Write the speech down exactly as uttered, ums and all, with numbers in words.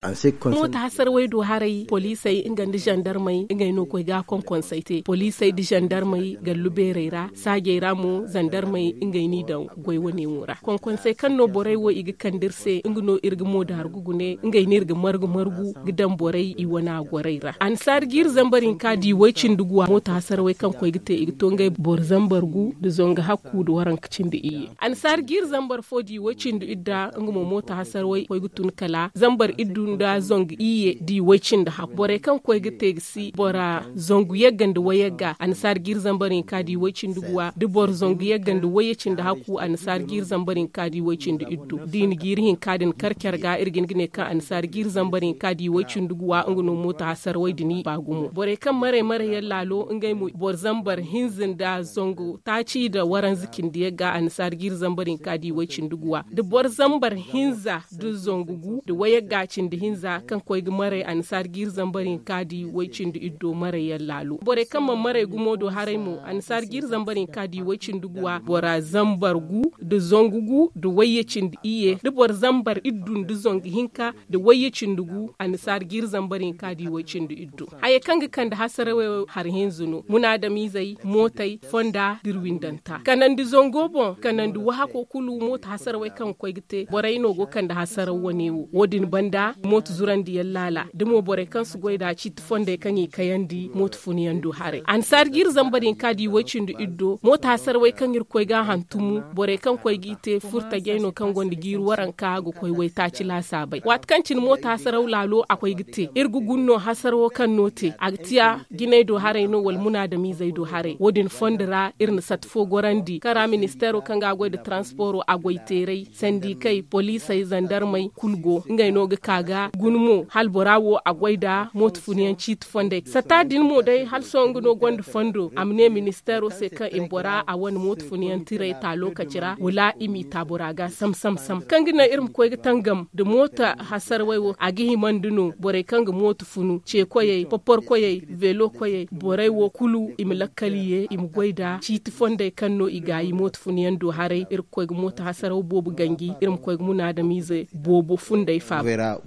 Moota hasarawey do haray poliisey nga nda zandarmey ngey no koy ga a konkonsey te poliisey nda zandarmey gallu beerey ra saajey ra mo zandarmey ngey n'i daŋ goy wane wo ra konkonsey kaŋ no borey wo i ga kande iri se nga no iri ga moodaaru ga gune ngey no iri ga margu margu ga daŋ borey i wane a gorey ra annasaari jiiri zambar hinka diiwey cindi guwa moota hasarawey kaŋ koy ga te i ga to ngey boro zambar gu nda zangu hakku nda waranka cindi iyye annasaari jiiri zambar fo diiwey cindi idda nga mo moota hasarawey koy ga tun kala zambar iddu nda zangu iyye diiwey cindi hakku borey kaŋ koy ga te ga si bora zangu yagga nda wayagga annasaari jiiri zambar hinka diiwey cindi guwa nda boro zangu yagga nda wayye cindi hakku annasaari jiiri zambar hinka diiwey cindi iddu da i na jiiri hinka din kar care ga iri ga hin ga ne kaŋ annasaari jiiri zambar hinka diiwey cindi guwa nga no moota hasarawey din i ba gumo borey kaŋ maray maray yaŋ laalo ngey mo boro zambar hinza nda zangu taaci nda waranza cindi yagga annasaari jiiri zambar hinka diiwey cindi guwa nda boro zambar hinza nda zangu gu nda wayagga cindi hinza kaŋ koy ga maray annasaari jiiri zambar hinka diiwey cindi iddo maray yaŋ laalo borey kaŋ mana maray gumo do haray mo annasaari jiiri zambar hinka diiwey cindi guwa bora zambar gu nda zangu gu nda wayye cindi iyye nda boro zambar iddu nda zangu hinka nda wayye cindi gu annasaari jiiri zambar hinka diiwey cindi iddo hayey kaŋ ga kande hasarawey hari hinza no munaadamiizey mootey fonda nda iri windanta kanandi zango boŋ kanandi wahako kulu mooto hasarawey kaŋ ga koy ga te borey no go kande hasaraw wane wo wo- din banda mooto zurandi yaŋ laala da mo borey kaŋ si goy nd'a ciiti fondey kaŋ i kayandi mooto funa yaŋ do haray annasaari jiiri zambar hinka diiwey cindi iddo mooto hasarawey kaŋ iri koy ga a hantumu borey kaŋ koy g'i te furtajey no kaŋ gonda jiiri waranka ga koy waytaaci laasaabey waati kaŋ cine mooto hasaraw laalo a koy ga te iri ga guna no hasarawo kaŋ no te a ga tiya jinay do haray no wala munaadamiizey do haray wo- din fondo ra iri na sata fo gorandi kaŋ ra ministeero kaŋ ga a goy nda taransporo a goy teeray sandikey poliisey zandarmey kulu go ngey no ga ka ga guna mo hala bora wo a goy nda mooto funayaŋ ciiti fondey sata din mo day hala sohõ nga no gonda fondo a ma ne ministeero se kaŋ i ma bora a wane mooto funayaŋ tiray ta lookaci ra wala i m'i ta bora ga sam sam sam kaŋ ga naŋ iri ma koy ga tangam nda mooto hasarawey wo a ga himandi no borey kaŋ ga mooto funu ce koyey popor koyey veelo koyey borey wo kulu i ma lakkal ye i ma goy nda ciiti fondey kaŋ no i gaayi mooto funayaŋ do haray iri ga koy ga mooto hasaraw boobo ganji iri ma koy ga munaadamiize boobo fundey faaba.